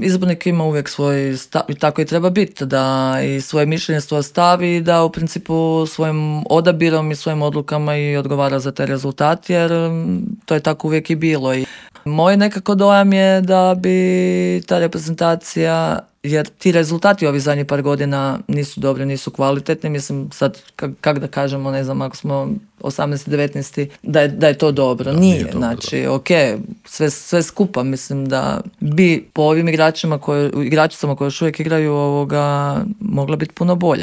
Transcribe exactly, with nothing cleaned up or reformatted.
Izbornik ima uvijek svoj stav i tako i treba biti, da i svoje mišljenje svoje stavi i da u principu svojim odabirom i svojim odlukama i odgovara za taj rezultat, jer to je tako uvijek i bilo. I moj nekako dojam je da bi ta reprezentacija, jer ti rezultati ovih zadnjih par godina nisu dobri, nisu kvalitetni, mislim sad kak, kak da kažemo, ne znam, ako smo osamnaest devetnaest da je, da je to dobro. Da, nije, nije dobro, znači, ok, sve, sve skupa, mislim da bi po ovim igračima koje, igračicama koje još uvijek igraju ovoga mogla biti puno bolja.